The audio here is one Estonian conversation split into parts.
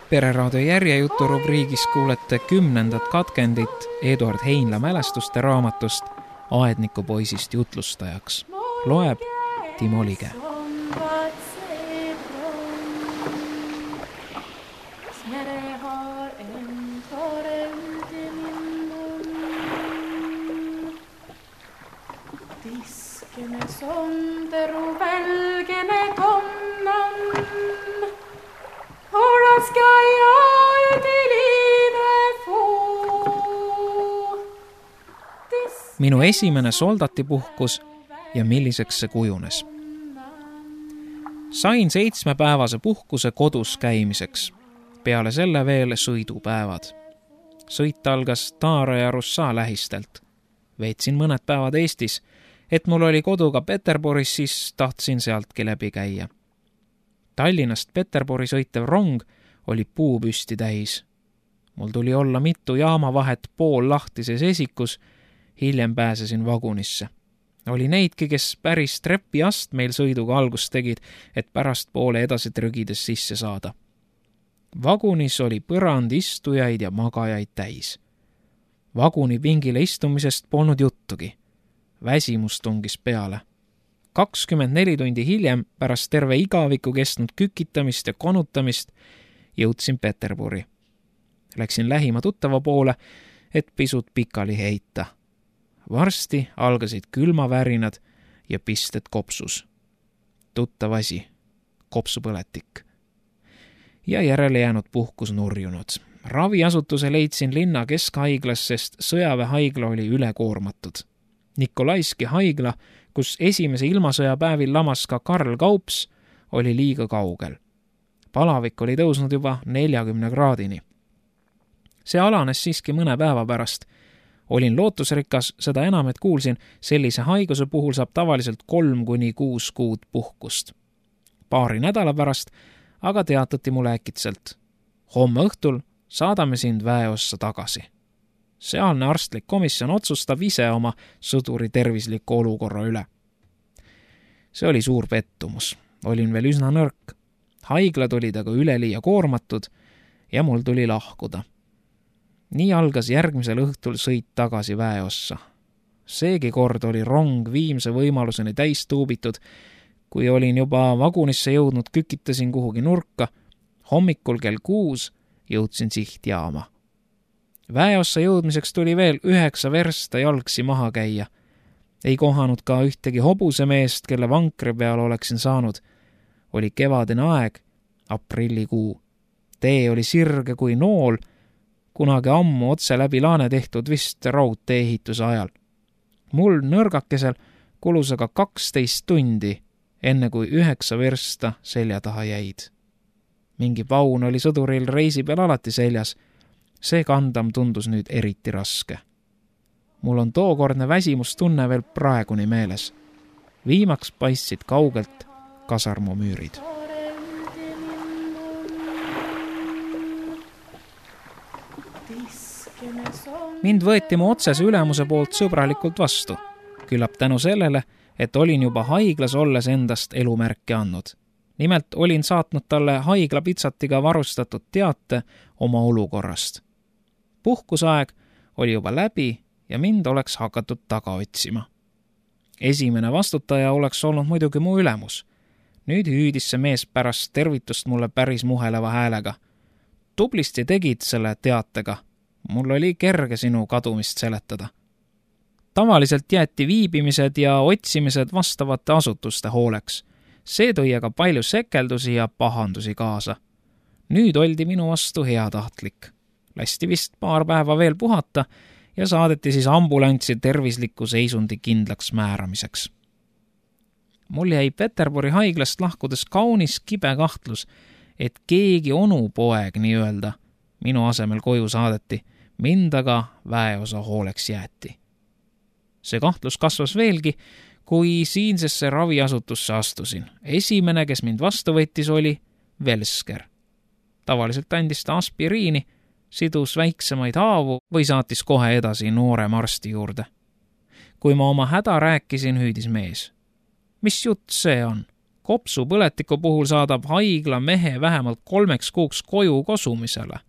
Pereraadio järjejutu rubriigis kuulete 10. katkendit Eduard Heinla mälestuste raamatust Aednikupoisist jutlustajaks. Loeb Timo Lige. Tiskene sonderu välgene konnan, Horaska ja üdiliine fuu. Minu esimene soldatipuhkus ja milliseks see kujunes. Sain 7-päevase puhkuse kodus käimiseks, peale selle veel sõidupäevad. Sõit algas Taara ja Russa lähistelt. Veetsin mõned päevad Eestis, et mul oli kodu ka Peterburis, siis tahtsin sealtki läbi käia. Tallinnast Peterburi sõitev rong oli puupüsti täis. Mul tuli olla mitu jaamavahet pool lahtises esikus, hiljem pääsesin vagunisse. Oli neidki, kes päris trepiast meil sõiduga algust tegid, et pärast poole edasi trügides sisse saada. Vagunis oli põrand istujaid ja magajaid täis. Vaguni pingile istumisest polnud juttugi. Väsimus tungis peale. 24 tundi hiljem, pärast terve igaviku kestnud kükitamist ja konutamist, jõudsin Peterburi. Läksin lähima tuttava poole, et pisut pikali heita. Varsti algasid külmavärinad ja pisted kopsus. Tuttav asi, kopsupõletik. Ja järele jäänud puhkus nurjunud. Raviasutuse leidsin linna keskhaiglas, sest sõjaväehaigla oli ülekoormatud. Nikolaiski haigla, kus esimese ilmasõja päevil lamas ka Karl Kaups, oli liiga kaugel. Palavik oli tõusnud juba 40 kraadini. See alanes siiski mõne päeva pärast. Olin lootusrikas, seda enam, et kuulsin, sellise haiguse puhul saab tavaliselt 3–6 kuud puhkust. Paari nädala pärast aga teatati mulle äkitselt. Homme õhtul saadame sind väeossa tagasi. Sealne arstlik komisjon otsustab ise oma sõduri tervisliku olukorra üle. See oli suur pettumus. Olin veel üsna nõrk. Haiglad olid aga üleliia koormatud ja mul tuli lahkuda. Nii algas järgmisel õhtul sõit tagasi väeossa. Seegi kord oli rong viimse võimaluseni täis tuubitud. Kui olin juba vagunisse jõudnud, kükitasin kuhugi nurka. Hommikul kell 6 jõudsin sihtjaama. Väeossa jõudmiseks tuli veel 9 versta jalgsi maha käia. Ei kohanud ka ühtegi hobusemeest, kelle vankri peal oleksin saanud. Oli kevadine aeg, aprillikuu. Tee oli sirge kui nool, kunagi ammu otse läbi laane tehtud vist raudtee ehituse ajal. Mul nõrgakesel kulus aga 12 tundi, enne kui 9 versta selja taha jäid. Mingi paun oli sõduril reisi peal alati seljas. See kandam tundus nüüd eriti raske. Mul on tookordne väsimustunne veel praeguni meeles. Viimaks paistsid kaugelt kasarmumüürid. Mind võeti mu otsese ülemuse poolt sõbralikult vastu. Küllap tänu sellele, et olin juba haiglas olles endast elumärke andnud. Nimelt olin saatnud talle haiglapitsatiga varustatud teate oma olukorrast. Puhkusaeg oli juba läbi ja mind oleks hakatud taga otsima. Esimene vastutaja oleks olnud muidugi mu ülemus. Nüüd hüüdis see mees pärast tervitust mulle päris muheleva häälega. Tublisti tegid selle teatega. Mul oli kerge sinu kadumist seletada. Tavaliselt jäeti viibimised ja otsimised vastavate asutuste hooleks. See tõi aga palju sekeldusi ja pahandusi kaasa. Nüüd oldi minu vastu heatahtlik. Lasti vist paar päeva veel puhata ja saadeti siis ambulantsi tervisliku seisundi kindlaks määramiseks. Mul jäi Peterburi haiglast lahkudes kaunis kibe kahtlus, et keegi onupoeg nii-öelda minu asemel koju saadeti, mind aga väeosa hooleks jäeti. See kahtlus kasvas veelgi, kui siinsesse raviasutusse astusin. Esimene, kes mind vastu võttis, oli Velsker. Tavaliselt andis ta aspiriini, sidus väiksemaid haavu või saatis kohe edasi noorema arsti juurde. Kui ma oma häda rääkisin, hüüdis mees. Mis jutt see on? Kopsupõletiku puhul saadab haigla mehe vähemalt 3 kuuks koju kosumisele.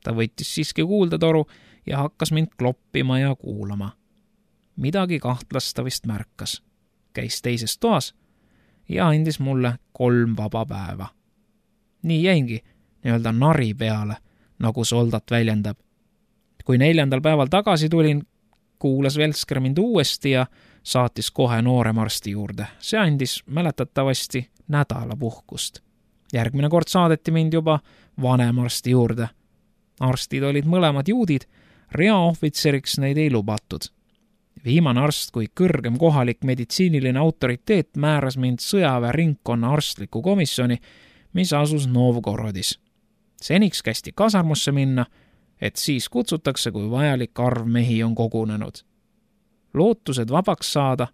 Ta võttis siiski kuuldetoru ja hakkas mind kloppima ja kuulama. Midagi kahtlasta vist märkas. Käis teises toas ja andis mulle 3 vaba päeva. Nii jäingi nii-öelda nari peale, nagu soldat väljendab. Kui 4. päeval tagasi tulin, kuulas Velsker mind uuesti ja saatis kohe noorem arsti juurde. See andis mäletatavasti nädala puhkust. Järgmine kord saadeti mind juba vanem arsti juurde. Arstid olid mõlemad juudid, reaohvitseriks neid ei lubatud. Viimane arst kui kõrgem kohalik meditsiiniline autoriteet määras mind sõjaväe ringkonna arstliku komisjoni, mis asus Novgorodis. Seniks kästi kasarmusse minna, et siis kutsutakse, kui vajalik arv mehi on kogunenud. Lootused vabaks saada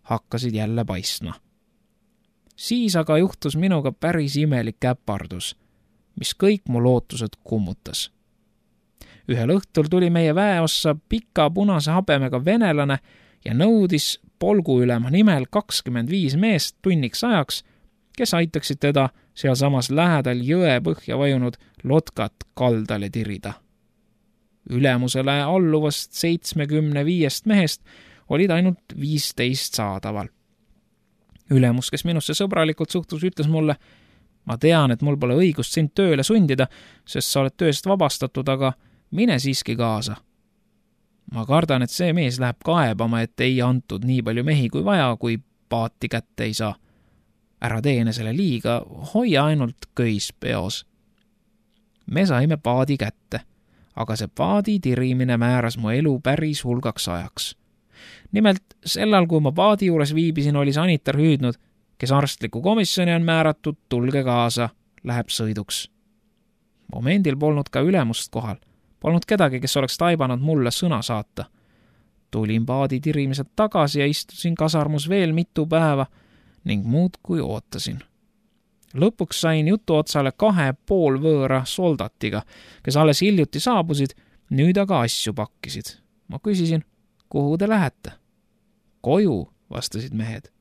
hakkasid jälle paistma. Siis aga juhtus minuga päris imelik äpardus, mis kõik mu lootused kummutas. Ühel õhtul tuli meie väeossa pika punase habemega venelane ja nõudis polguülema nimel 25 meest tunniks ajaks, kes aitaksid teda sealsamas lähedal jõe põhja vajunud lotkat kaldale tirida. Ülemusele alluvast 75 mehest olid ainult 15 saadaval. Ülemus, kes minusse sõbralikult suhtus, ütles mulle: ma tean, et mul pole õigust sind tööle sundida, sest sa oled tööst vabastatud, aga mine siiski kaasa. Ma kardan, et see mees läheb kaebama, et ei antud nii palju mehi kui vaja, kui paati kätte ei saa. Ära tee enesele liiga, hoia ainult köis peos. Me saime paadi kätte, aga see paadi tirimine määras mu elu päris hulgaks ajaks. Nimelt, sellal, kui ma paadi juures viibisin, oli sanitar hüüdnud: kes arstliku komisjoni on määratud, tulge kaasa, läheb sõiduks. Momendil polnud ka ülemust kohal. Polnud kedagi, kes oleks taibanud mulle sõna saata. Tulin paadi tirimised tagasi ja istusin kasarmus veel mitu päeva ning muud kui ootasin. Lõpuks sain jutu otsale 2 poolvõõra soldatiga, kes alles hiljuti saabusid, nüüd aga asju pakkisid. Ma küsisin: kuhu te lähete? Koju, vastasid mehed.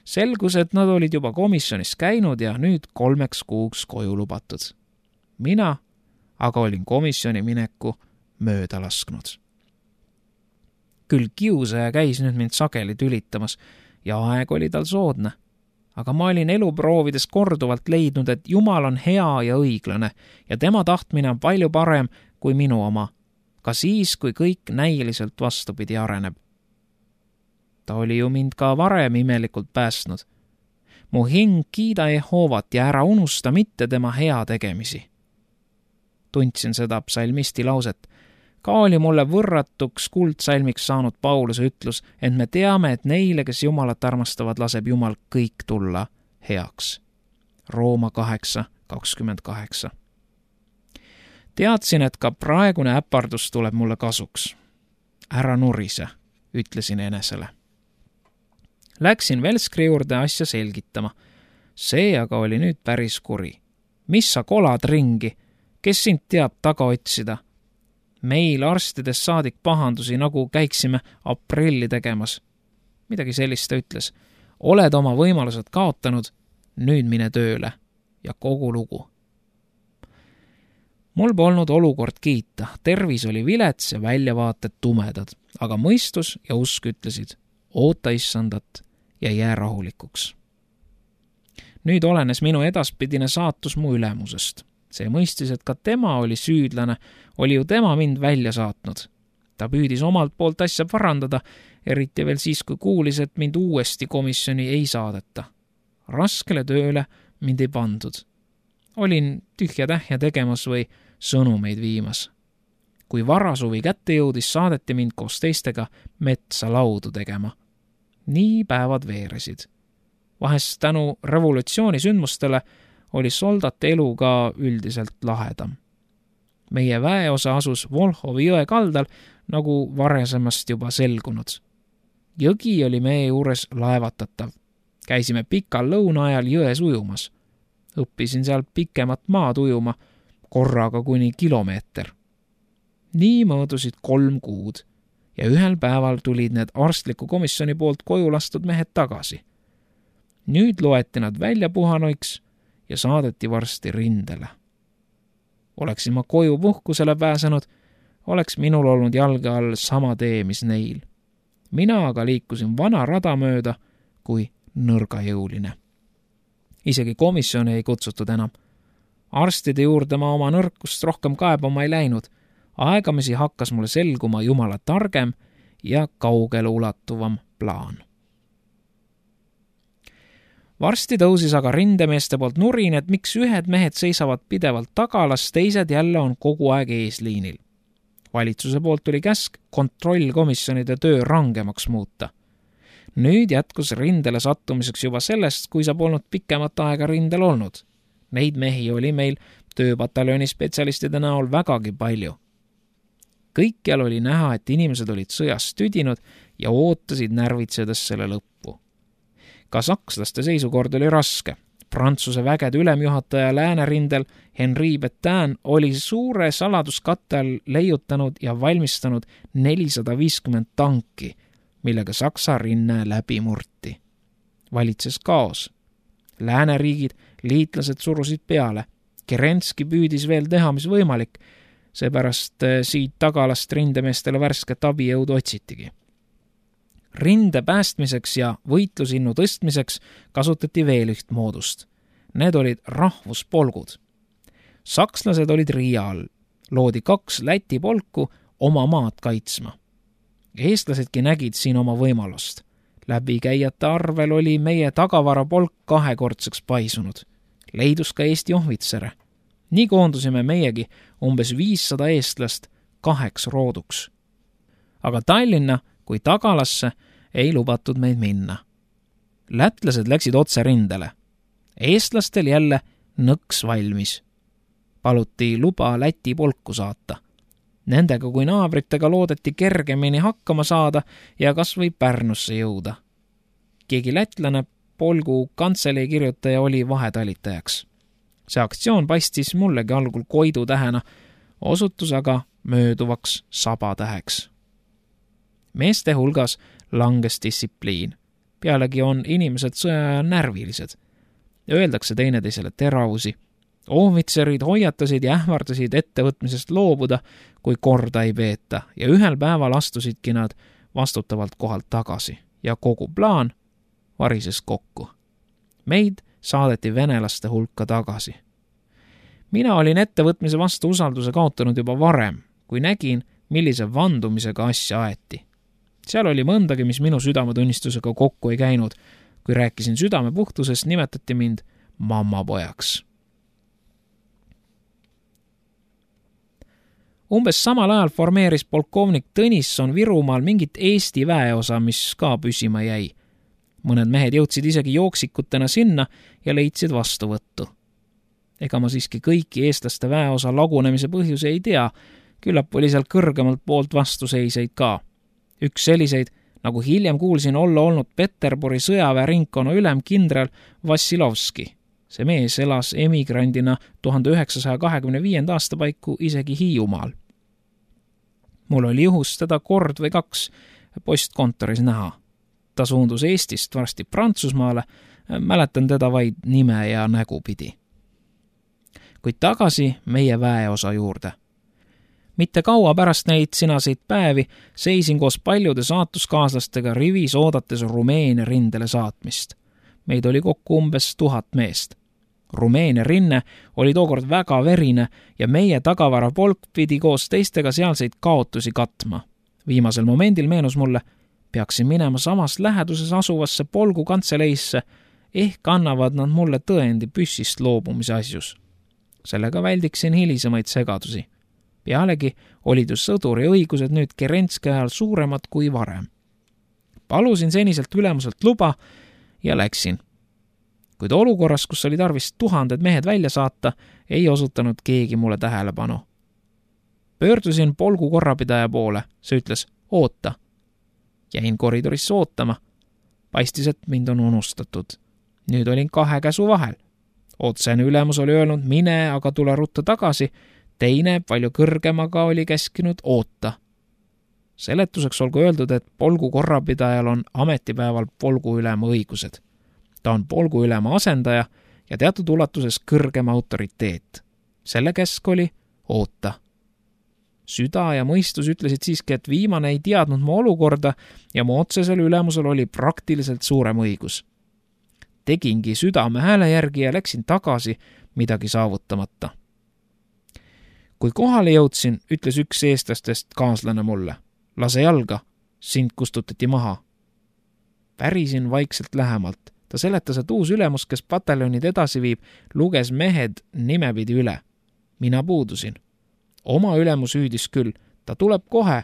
Selgus, et nad olid juba komisjonis käinud ja nüüd 3 kuuks koju lubatud. Mina aga olin komisjoni mineku mööda lasknud. Küll kiusaja käis nüüd mind sageli tülitamas ja aeg oli tal soodne. Aga ma olin eluproovides korduvalt leidnud, et Jumal on hea ja õiglane ja tema tahtmine on palju parem kui minu oma, ka siis, kui kõik näiliselt vastupidi areneb. Ta oli ju mind ka varem imelikult päästnud. Mu hing kiida Jehovat ja ära unusta mitte tema hea tegemisi. Tundsin seda psalmisti lauset. Ka oli mulle võrratuks kuldsalmiks saanud Pauluse ütlus, et me teame, et neile, kes Jumalat armastavad, laseb Jumal kõik tulla heaks. Rooma 8:28. Teadsin, et ka praegune äpardus tuleb mulle kasuks. Ära nurise, ütlesin enesele. Läksin Velskri juurde asja selgitama. See aga oli nüüd päris kuri. Mis sa kolad ringi? Kes sind teab taga otsida? Meil arstides saadik pahandusi, nagu käiksime aprilli tegemas. Midagi sellist ta ütles. Oled oma võimalused kaotanud, nüüd mine tööle ja kogu lugu. Mul polnud olukord kiita, tervis oli vilets ja väljavaated tumedad, aga mõistus ja usk ütlesid: oota issandat ja jää rahulikuks. Nüüd olenes minu edaspidine saatus mu ülemusest. See mõistis, et ka tema oli süüdlane, oli ju tema mind välja saatnud. Ta püüdis omalt poolt asja parandada, eriti veel siis, kui kuulis, et mind uuesti komisjoni ei saadeta. Raskele tööle mind ei pandud. Olin tühja-tähja tegemas või sõnumeid viimas. Kui varasuvi kätte jõudis, saadeti mind koos teistega metsa laudu tegema. Nii päevad veeresid. Vahest tänu revolutsiooni sündmustele oli soldate elu ka üldiselt lahedam. Meie väeosa asus Volhovi jõe kaldal, nagu varasemast juba selgunud. Jõgi oli meie juures laevatatav. Käisime pikal lõuna ajal jões ujumas. Õppisin seal pikemat maad ujuma, korraga kuni kilomeeter. Nii möödusid 3 kuud ja ühel päeval tulid need arstliku komisjoni poolt koju lastud mehed tagasi. Nüüd loeti nad välja puhanuiks ja saadeti varsti rindele. Oleksin ma koju puhkusele pääsenud, oleks minul olnud jalge all sama tee, mis neil. Mina aga liikusin vana rada mööda kui nõrgajõuline. Isegi komisjoni ei kutsutud enam. Arstide juurde ma oma nõrkust rohkem kaebama ei läinud. Aegamisi hakkas mulle selguma Jumala targem ja kaugele ulatuvam plaan. Varsti tõusis aga rindemeeste poolt nurin, et miks ühed mehed seisavad pidevalt tagalas, teised jälle on kogu aeg eesliinil. Valitsuse poolt tuli käsk kontrollkomisjonide töö rangemaks muuta. Nüüd jätkus rindele sattumiseks juba sellest, kui sa polnud pikemat aega rindel olnud. Neid mehi oli meil tööpataljoni spetsialistide näol vägagi palju. Kõikjal oli näha, et inimesed olid sõjast tüdinud ja ootasid närvitsedes selle lõppu. Ka sakslaste seisukord oli raske. Prantsuse vägede ülemjuhataja läänerindel Henri Petain oli suure saladuskatte all leiutanud ja valmistanud 450 tanki, millega Saksa rinne läbi murti. Valitses kaos. Lääneriigid, liitlased surusid peale. Kerenski püüdis veel teha, mis võimalik, seepärast siit tagalast rindemeestele värsket abijõudu otsitigi. Rinde päästmiseks ja võitlusinnu tõstmiseks kasutati veel üht moodust. Need olid rahvuspolgud. Sakslased olid Riia all. Loodi 2 Läti polku oma maad kaitsma. Eestlasedki nägid siin oma võimalust. Läbikäijate arvel oli meie tagavarapolk 2-kordseks paisunud. Leidus ka Eesti ohvitsere. Nii koondusime meiegi umbes 500 eestlast 2 rooduks. Aga Tallinna kui tagalasse ei lubatud meid minna. Lätlased läksid otse rindele. Eestlastel jälle nõks valmis. Paluti luba Läti polku saata. Nendega kui naabritega loodeti kergemini hakkama saada ja kas või Pärnusse jõuda. Keegi lätlane polgu kantselei kirjutaja oli vahetalitajaks. See aktsioon paistis mullegi algul Koidu tähena, osutus aga mööduvaks sabatäheks. Meeste hulgas langes distsipliin. Pealegi on inimesed sõja närvilised. Öeldakse teineteisele teravusi. Ohvitserid hoiatasid ja ähvardasid ettevõtmisest loobuda, kui korda ei peeta, ja ühel päeval astusidki nad vastutavalt kohalt tagasi ja kogu plaan varises kokku. Meid saadeti venelaste hulka tagasi. Mina olin ettevõtmise vastu usalduse kaotanud juba varem, kui nägin, millise vandumisega asja aeti. Seal oli mõndagi, mis minu südametunnistusega kokku ei käinud. Kui rääkisin südamepuhtusest, nimetati mind mammapojaks. Umbes samal ajal formeeris polkovnik Tõnisson Virumaal mingit Eesti väeosa, mis ka püsima jäi. Mõned mehed jõudsid isegi jooksikutena sinna ja leidsid vastuvõttu. Ega ma siiski kõiki eestlaste väeosa lagunemise põhjuse ei tea, küllap oli seal kõrgemalt poolt vastuseiseid ka. Üks selliseid, nagu hiljem kuulsin olla olnud Peterburi sõjaväeringkonna ülem kindral Vassilovski. See mees elas emigrandina 1925. aasta paiku isegi Hiiumaal. Mul oli juhus teda kord või 2 postkontoris näha. Ta suundus Eestist varsti Prantsusmaale, mäletan teda vaid nime ja nägu pidi. Kuid tagasi meie väeosa juurde. Mitte kaua pärast neid sinaseid päevi seisin koos paljude saatuskaaslastega rivis oodates Rumeenia rindele saatmist. Meid oli kokku umbes 1000 meest. Rumeenia rinne oli tookord väga verine ja meie tagavarapolk pidi koos teistega sealseid kaotusi katma. Viimasel momendil meenus mulle, peaksin minema samas läheduses asuvasse polgu kantseleisse, ehk annavad nad mulle tõendi püssist loobumise asjus. Sellega väldiksin hilisemaid segadusi. Pealegi olid ju sõduri õigused nüüd Kerenski ajal suuremad kui varem. Palusin seniselt ülemuselt luba ja läksin. Kuid olukorras, kus oli tarvis 1000 mehed välja saata, ei osutanud keegi mulle tähelepanu. Pöördusin polgu korrapidaja poole, see ütles, oota. Jäin koridorisse ootama. Paistis, et mind on unustatud. Nüüd olin 2 käsu vahel. Otsene ülemus oli öelnud, mine, aga tule rutta tagasi. Teine, palju kõrgemaga, oli käskinud oota. Seletuseks olgu öeldud, et polgu korrapidajal on ametipäeval polgu ülema õigused. Ta on polguülema asendaja ja teatud ulatuses kõrgem autoriteet. Selle käsk oli oota. Süda ja mõistus ütlesid siiski, et viimane ei teadnud mu olukorda ja mu otsesel ülemusel oli praktiliselt suurem õigus. Tegingi südame hääle järgi ja läksin tagasi midagi saavutamata. Kui kohale jõudsin, ütles üks eestlastest kaaslane mulle. Lase jalga, sind kustutati maha. Pärisin vaikselt lähemalt. Ta seletas, et uus ülemus, kes pataljonid edasi viib, luges mehed nimepidi üle. Mina puudusin. Oma ülemus hüüdis küll. Ta tuleb kohe.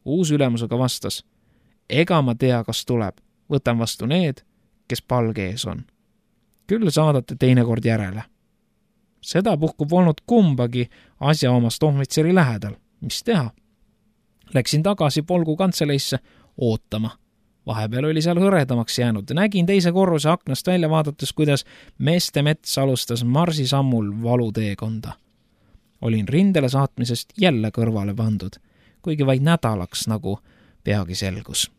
Uus ülemusega vastas. Ega ma tea, kas tuleb. Võtan vastu need, kes palge ees on. Küll saadate teinekord järele. Seda puhku polnud kumbagi asjaomast ohvitseri lähedal. Mis teha? Läksin tagasi polgu kantseleisse ootama. Vahepeal oli seal hõredamaks jäänud. Nägin teise korruse aknast välja vaadates, kuidas meeste mets alustas marsisammul valuteekonda. Olin rindele saatmisest jälle kõrvale pandud, kuigi vaid nädalaks, nagu peagi selgus.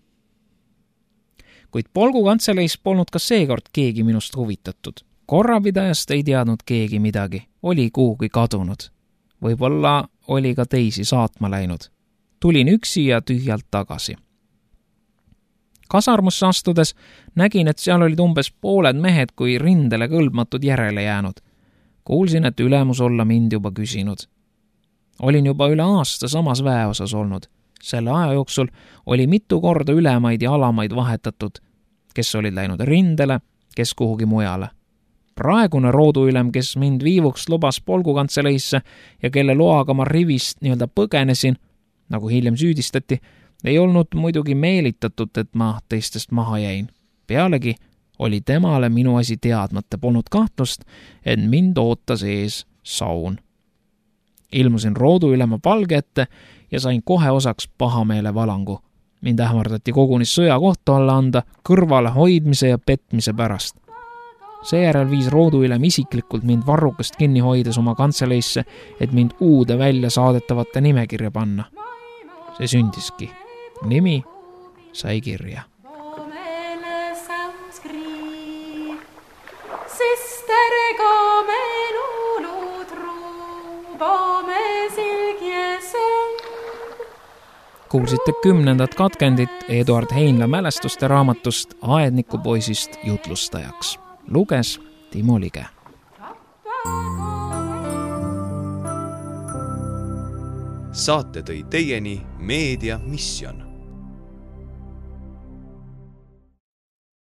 Kuid polgu kantseleis polnud ka seekord keegi minust huvitatud. Korrapidajast ei teadnud keegi midagi, oli kuhugi kadunud. Võib-olla oli ka teisi saatma läinud. Tulin üksi ja tühjalt tagasi. Kasarmusse astudes nägin, et seal olid umbes pooled mehed kui rindele kõlbmatud järele jäänud. Kuulsin, et ülemus olla mind juba küsinud. Olin juba üle aasta samas väeosas olnud. Selle aja jooksul oli mitu korda ülemaid ja alamaid vahetatud, kes olid läinud rindele, kes kuhugi mujale. Praegune rooduülem, kes mind viivuks lubas polgukantseleisse ja kelle loaga ma rivist nii-öelda põgenesin, nagu hiljem süüdistati, ei olnud muidugi meelitatud, et ma teistest maha jäin. Pealegi oli temale minu asi teadmata, polnud kahtlust, et mind ootas ees saun. Ilmusin rooduülema palge ette ja sain kohe osaks pahameele valangu. Mind ähvardati koguni sõja kohta alla anda kõrvale hoidmise ja petmise pärast. Seejärel viis rooduülem isiklikult mind varrukast kinni hoides oma kantseleisse, et mind uude välja saadetavate nimekirja panna. See sündiski. Nimi sai kirja. Kuulsite 10. katkendit Eduard Heinla mälestuste raamatust Aednikupoisist jutlustajaks. Luges Timo Lige. Saate tõi teieni Meedia Mission.